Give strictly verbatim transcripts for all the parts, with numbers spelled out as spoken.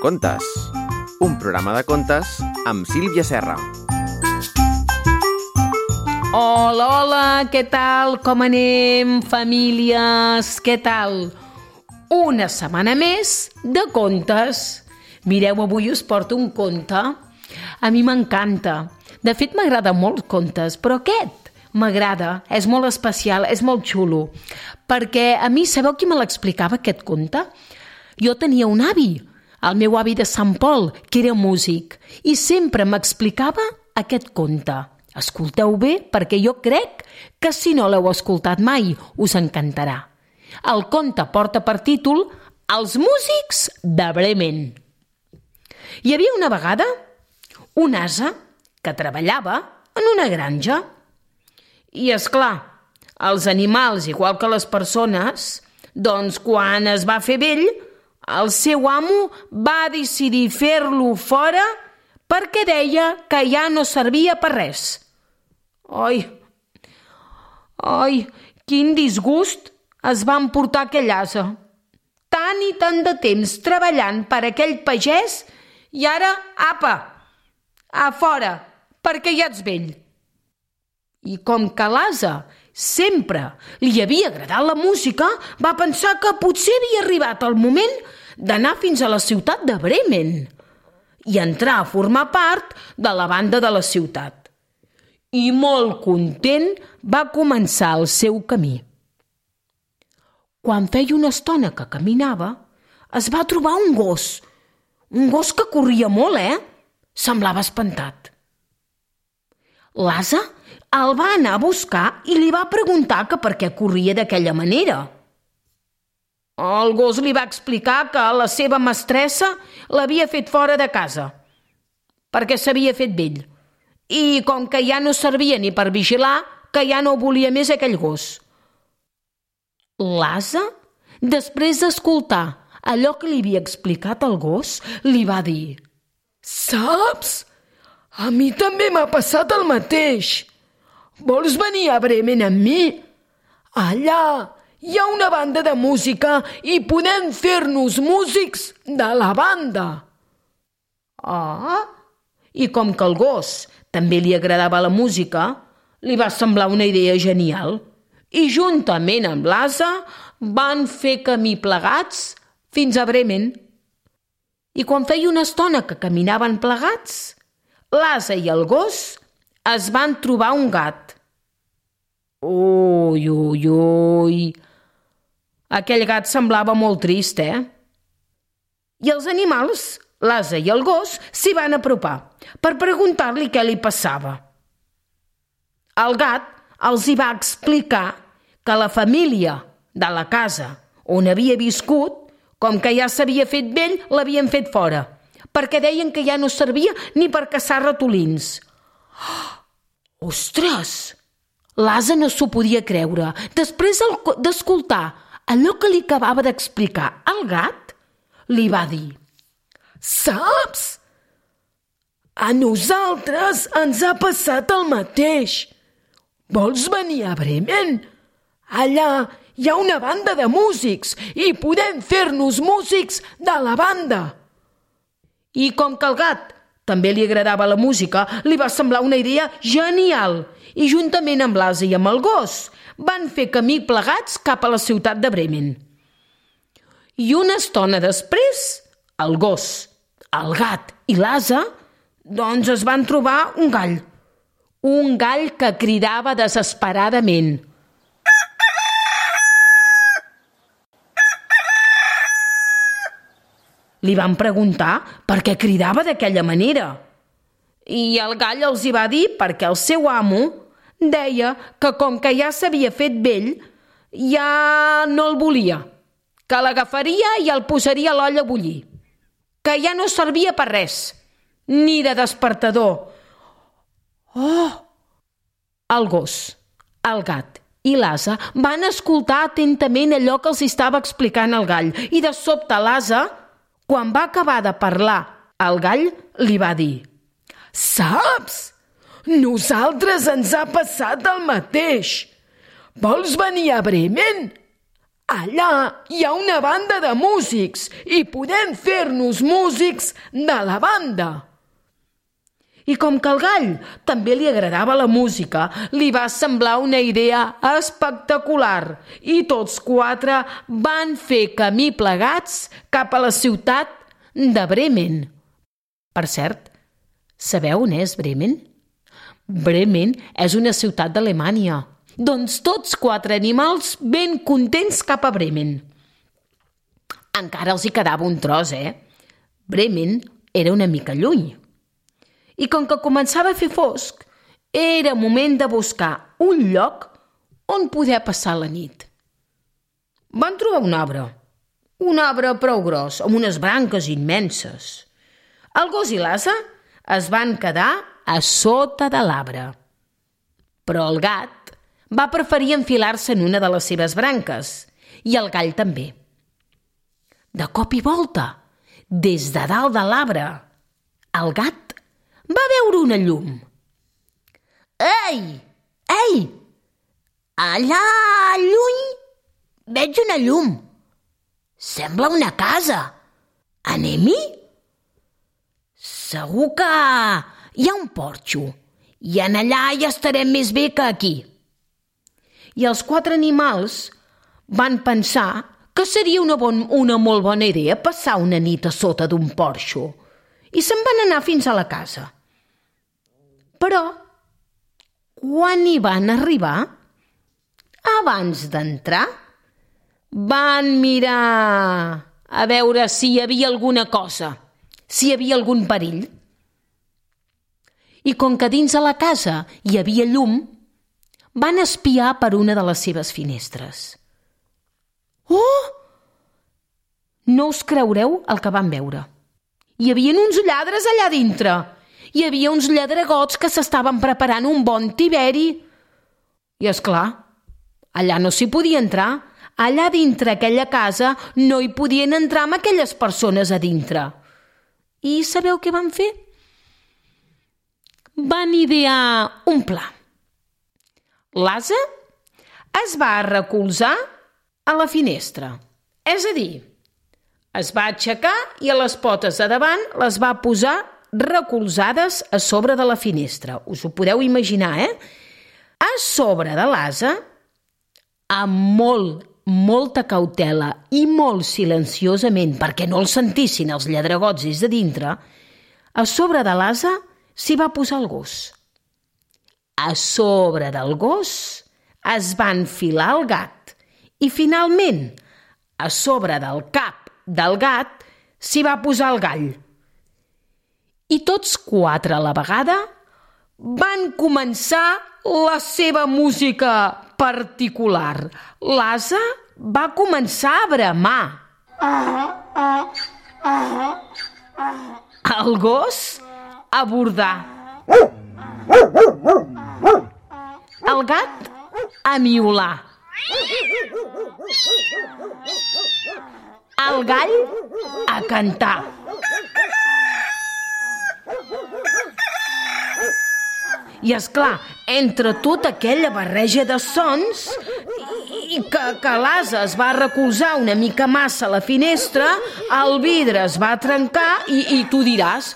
Contes, un programa de contes amb Sílvia Serra. Hola, hola, què tal? Com anem, famílies? Què tal? Una setmana més de contes. Mireu, avui us porto un conte. A mi m'encanta. De fet, m'agrada molt contes, però aquest m'agrada, és molt especial, és molt xulo. Perquè a mi, sabeu qui me l'explicava, aquest conte? Jo tenia un avi, el meu avi de Sant Pol, que era músic, i sempre m'explicava aquest conte. Escolteu bé, perquè jo crec que si no l'heu escoltat mai, us encantarà. El conte porta per títol Els músics de Bremen. Hi havia una vegada un ase que treballava en una granja. I, és clar, els animals, igual que les persones, doncs quan es va fer vell, el seu amo va decidir fer-lo fora perquè deia que ja no servia per res. Ai, ai, quin disgust es va emportar aquell ase. Tant i tant de temps treballant per aquell pagès i ara, apa, a fora, perquè ja ets vell. I com que l'ase sempre li havia agradat la música, va pensar que potser havia arribat el moment d'anar fins a la ciutat de Bremen i entrar a formar part de la banda de la ciutat. I molt content va començar el seu camí. Quan feia una estona que caminava, es va trobar un gos. Un gos que corria molt, eh? Semblava espantat. L'ase el va anar a buscar i li va preguntar que per què corria d'aquella manera. El gos li va explicar que la seva mestressa l'havia fet fora de casa, perquè s'havia fet vell. I com que ja no servia ni per vigilar, que ja no volia més aquell gos. L'ase, després d'escoltar allò que li havia explicat el gos, li va dir: «Saps? A mi també m'ha passat el mateix. Vols venir a Bremen amb mi? Allà hi ha una banda de música i podem fer-nos músics de la banda». Ah, i com que al gos també li agradava la música, li va semblar una idea genial. I juntament amb l'ase van fer camí plegats fins a Bremen. I quan feia una estona que caminaven plegats, l'ase i el gos es van trobar un gat. Ui, ui, ui. Aquell gat semblava molt trist, eh? I els animals, l'ase i el gos, s'hi van apropar per preguntar-li què li passava. El gat els hi va explicar que la família de la casa on havia viscut, com que ja s'havia fet vell, l'havien fet fora, perquè deien que ja no servia ni per caçar ratolins. Oh, ostres! L'ase no s'ho podia creure. Després d'escoltar allò que li acabava d'explicar el gat, li va dir: «Saps? A nosaltres ens ha passat el mateix. Vols venir a Bremen? Allà hi ha una banda de músics i podem fer-nos músics de la banda». I com que al gat també li agradava la música, li va semblar una idea genial i juntament amb l'ase i amb el gos van fer camí plegats cap a la ciutat de Bremen. I una estona després, el gos, el gat i l'ase doncs es van trobar un gall. Un gall que cridava desesperadament. Li van preguntar per què cridava d'aquella manera. I el gall els hi va dir perquè el seu amo deia que com que ja s'havia fet vell, ja no el volia, que l'agafaria i el posaria a l'olla a bullir, que ja no servia per res, ni de despertador. Oh! El gos, el gat i l'ase van escoltar atentament allò que els estava explicant el gall i de sobte l'ase, quan va acabar de parlar, el gall li va dir: «Saps? Nosaltres ens ha passat el mateix. Vols venir a Bremen? allà hi ha una banda de músics i podem fer-nos músics de la banda. I com que al gall també li agradava la música, li va semblar una idea espectacular i tots quatre van fer camí plegats cap a la ciutat de Bremen. Per cert, sabeu on és Bremen? Bremen és una ciutat d'Alemanya. Doncs tots quatre animals ben contents cap a Bremen. Encara els hi quedava un tros, eh? Bremen era una mica lluny. I com que començava a fer fosc, era moment de buscar un lloc on poder passar la nit. Van trobar un arbre, un arbre prou gros, amb unes branques immenses. El gos i l'ase es van quedar a sota de l'arbre. Però el gat va preferir enfilar-se en una de les seves branques, i el gall també. De cop i volta, des de dalt de l'arbre, el gat va veure una llum. Ei! Ei! Allà lluny veig una llum. Sembla una casa. Anem-hi? Segur que hi ha un porxo i en allà ja estarem més bé que aquí. I els quatre animals van pensar que seria una, bon, una molt bona idea passar una nit a sota d'un porxo i se'n van anar fins a la casa. Però, quan hi van arribar, abans d'entrar, van mirar a veure si hi havia alguna cosa, si hi havia algun perill. I com que dins de la casa hi havia llum, van espiar per una de les seves finestres. Oh! No us creureu el que van veure. Hi havia uns lladres allà dintre. Hi havia uns lladregots que s'estaven preparant un bon tiberi. I, és clar, allà no s'hi podia entrar. Allà dintre aquella casa no hi podien entrar amb aquelles persones a dintre. I sabeu què van fer? Van idear un pla. L'ase es va recolzar a la finestra. És a dir, es va aixecar i a les potes de davant les va posar recolzades a sobre de la finestra. Us ho podeu imaginar, eh? A sobre de l'ase, amb molt, molta cautela i molt silenciosament, perquè no el sentissin els lladregots des de dintre, a sobre de l'ase s'hi va posar el gos. A sobre del gos es va enfilar el gat i, finalment, a sobre del cap del gat s'hi va posar el gall. I tots quatre a la vegada van començar la seva música particular. L'ase va començar a bramar. El gos a bordar. El gat a miolar. El gall a cantar. I, és clar, entre tota aquella barreja de sons i que, que l'ase es va recolzar una mica massa a la finestra, el vidre es va trencar i, i tu diràs,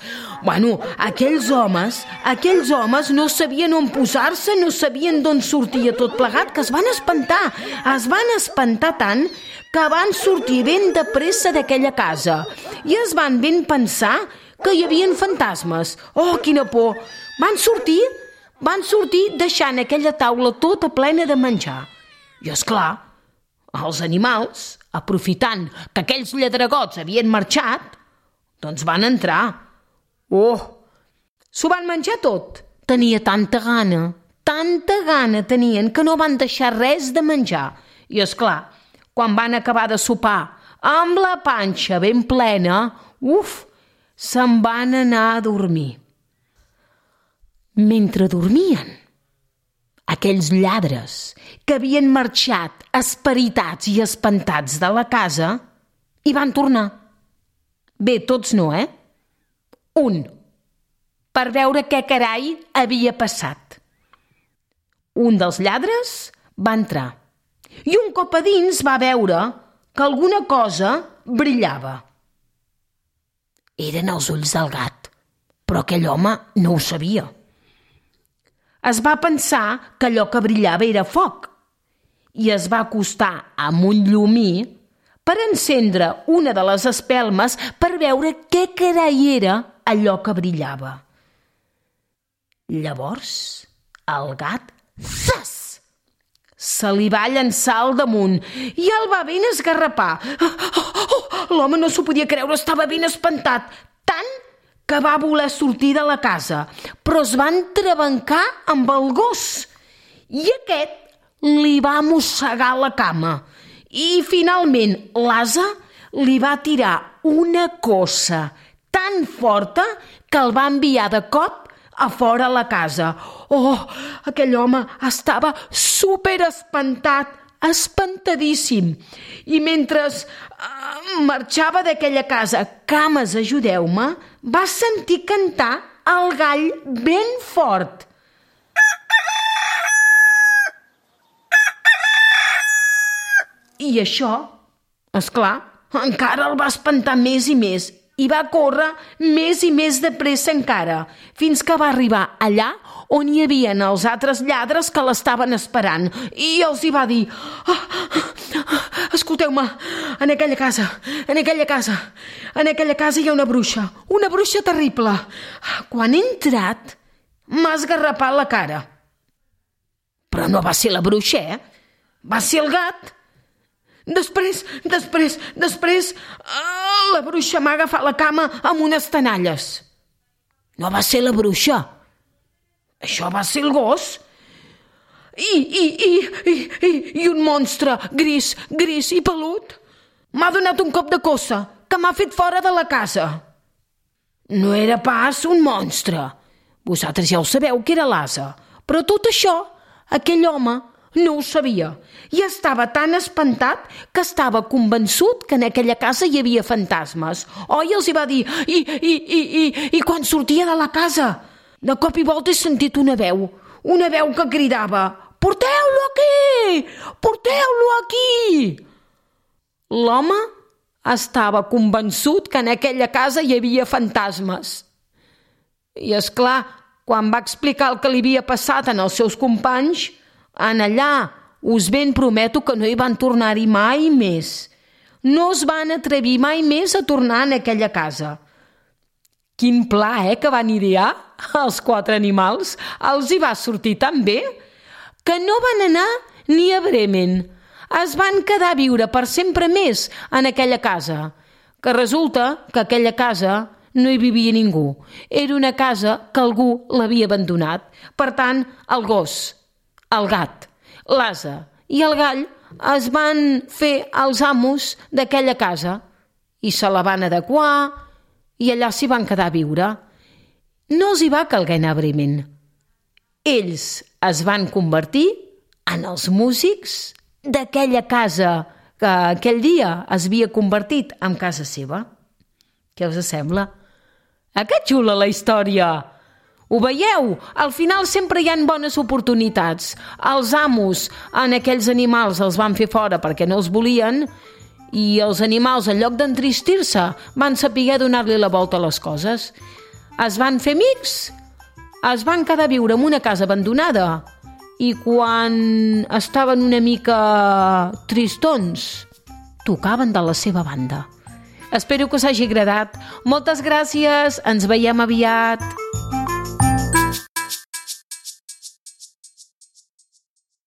bueno, aquells homes, aquells homes no sabien on posar-se, no sabien d'on sortia tot plegat, que es van espantar, es van espantar tant que van sortir ben de pressa d'aquella casa i es van ben pensar que hi havia fantasmes. Oh, quina por! Van sortir, van sortir deixant aquella taula tota plena de menjar. I, és clar, els animals, aprofitant que aquells lladregots havien marxat, doncs van entrar. Oh! S'ho van menjar tot. Tenia tanta gana, tanta gana tenien que no van deixar res de menjar. I, és clar, quan van acabar de sopar amb la panxa ben plena, uf, se'n van anar a dormir. Mentre dormien, aquells lladres que havien marxat esperitats i espantats de la casa hi van tornar. Bé, tots no, eh? Un, per veure què carai havia passat. Un dels lladres va entrar i un cop a dins va veure que alguna cosa brillava. Eren els ulls del gat, però aquell home no ho sabia. Es va pensar que allò que brillava era foc i es va acostar amb un llumí per encendre una de les espelmes per veure què carai era allò que brillava. Llavors, el gat, zas! Se li va llançar al damunt i el va ben esgarrapar. Oh, oh, oh, l'home no s'ho podia creure, estava ben espantat, tant que va voler sortir de la casa, però es va entrebancar amb el gos i aquest li va mossegar la cama i finalment l'ase li va tirar una cossa tan forta que el va enviar de cop a fora la casa. Oh, aquell home estava super espantat, espantadíssim. I mentre uh, marxava d'aquella casa, cames, ajudeu-me, va sentir cantar el gall ben fort. I això, esclar, encara el va espantar més i més i va córrer més i més de pressa encara, fins que va arribar allà on hi havia els altres lladres que l'estaven esperant i els hi va dir: oh, escolteu-me, en aquella casa, en aquella casa, en aquella casa hi ha una bruixa, una bruixa terrible. Quan he entrat, m'ha esgarrapat la cara. Però no va ser la bruixa, eh? Va ser el gat. Després, després, després, uh, la bruixa m'ha agafat la cama amb unes tenalles. No va ser la bruixa. Això va ser el gos. I, i, i, i, i, i un monstre gris, gris i pelut m'ha donat un cop de cossa que m'ha fet fora de la casa. No era pas un monstre. Vosaltres ja ho sabeu que era l'ase. Però tot això, aquell home no ho sabia i estava tan espantat que estava convençut que en aquella casa hi havia fantasmes. Oi, els hi va dir, i, i, i, i, i quan sortia de la casa, de cop i volta he sentit una veu, una veu que cridava: porteu-lo aquí! Porteu-lo aquí! L'home estava convençut que en aquella casa hi havia fantasmes. I, és clar, quan va explicar el que li havia passat als seus companys, en allà us ben prometo que no hi van tornar-hi mai més. No es van atrevir mai més a tornar en aquella casa. Quin pla, eh, que van idear els quatre animals. Els hi va sortir tan bé que no van anar ni a Bremen. Es van quedar a viure per sempre més en aquella casa, que resulta que aquella casa no hi vivia ningú. Era una casa que algú l'havia abandonat. Per tant, el gos, el gat, l'ase i el gall es van fer els amos d'aquella casa i se la van adequar i allà s'hi van quedar a viure. No els hi va calguer anar a Bremen. Ells es van convertir en els músics d'aquella casa que aquell dia es havia convertit en casa seva. Què us sembla? Ah, que xula la història! Ho veieu? Al final sempre hi ha bones oportunitats. Els amos en aquells animals els van fer fora perquè no els volien i els animals, en lloc d'entristir-se, van saber donar-li la volta a les coses. Es van fer amics, es van quedar a viure en una casa abandonada i quan estaven una mica tristons, tocaven de la seva banda. Espero que us hagi agradat. Moltes gràcies, ens veiem aviat.